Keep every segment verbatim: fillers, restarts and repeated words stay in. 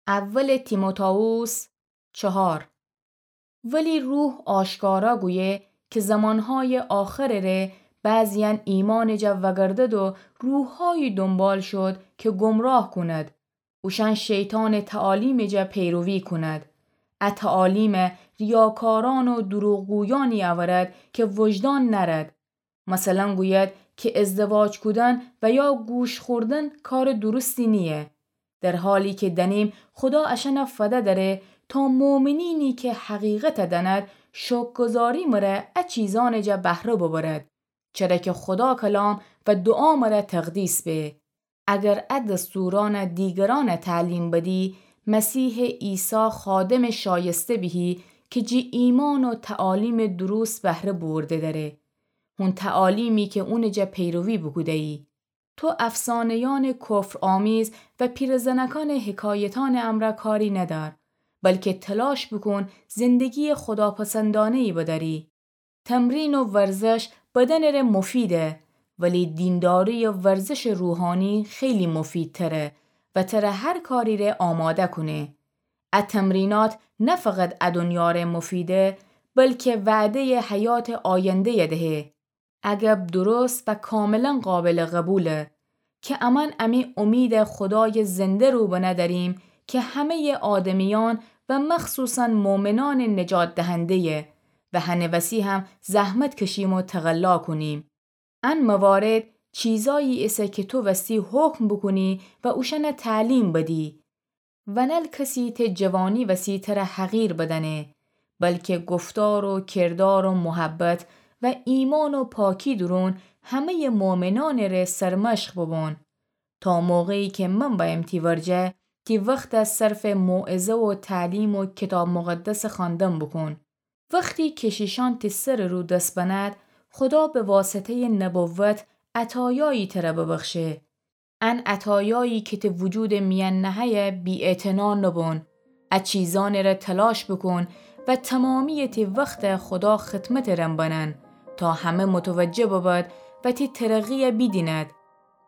اول تیموتائوس چهار. ولی روح آشکارا گویه که زمانهای آخرٚ ره بعضیأن ایمانٚ جا وگردد و روحهایی دنبال شد که گمراه کند. اوشأن شیطانٚ تعالیمٚ جا پیروی کند. ا تعالیم ریاکارأن و دروغگویأنی اورد که وجدان نأرد. مثلا گوید که ازدواج کودن و یا گوش خوردن کارٚ درستی نییه. در حالی که دأنیم خدا اشأن فده دأره تا مؤمنینی که حقیقت دأند شکرگزاری مره ا چیزأنٚ جا بهره ببرد، چره که خدا کلام و دعا مره تقدیس به. اگر ا دستورأن دیگرأن تعلیم بدی، مسیحٚ عیسی خادمٚ شایسته بیهی که جٚه ایمان و تعالیمٚ درست بهره بورده دأره. هون تعالیمی که اونٚ جا پیروی بوکودهیی. تو افسانهیأنٚ کفرآمیز و پیرزنکأنٚ حکایتأنٚ امرأ کاری ندأر، بلکه تلاش بوکون زندگییٚ خداپسندأنهیی بدأری. تمرین و ورزش بدنٚ ره مفیده، ولی دینداری و ورزشٚ روحانی خیلی مفیدتره و تره هر کاری ره آماده کونه. ا تمرینات نه فقط ا دنیا ره مفیده، بلکه وعدهیٚ حیاتٚ آیندهی دهه. اگب درست و کاملا قابلٚ قبوله که امأن امی امید خدایٚ زنده رو بنه دأریم که همهیٚ آدمیأن و مخصوصا مؤمنأنٚ نجات دهندهیه و هنٚ وسی هم زحمت کشیم و تقلا کونیم. ان موارد چیزایی ایسه که تو وستی حکم بوکونی و اوشأن تعلیم بدی. و نل کسی ته جوانی وسی تره حقیر بدأنه، بلکه گفتار و کردار و محبت و ایمان و پاکی دورون همهیٚ مؤمنأنٚ ره سرمشق ببون. تا موقعی که من بأیم تی ورجه، تی وخت صرفٚ موعظه و تعلیم و کیتاب مقدسٚ خوأندن بوکون. وختی کشیشأن تی سرٚ رو دس بند، خدا به واسطهیٚ نبوت عطایایی تره ببخشه. ان عطایایی که تی وجودٚ میأن نههیه بی‌اعتنا نبون. ا چیزأنٚ ره تلاش بوکون و تمامییٚ تی وخت خدا خدمتٚ رم بنن، تا همه متوجه ببد و تی ترقییه بیدیند.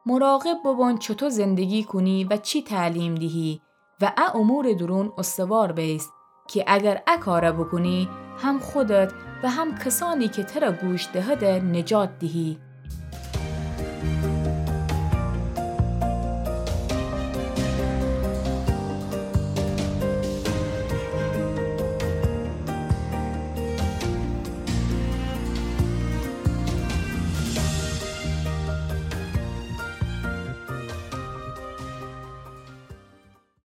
مراقب ببون چوطو زندگی کونی و چی تعلیم دیهی و ا امورٚ دورون استوار بأیس، که اگر ا کاره بوکونی، هم خودت و هم کسأنی که تره گوش دهده نجات دیهی.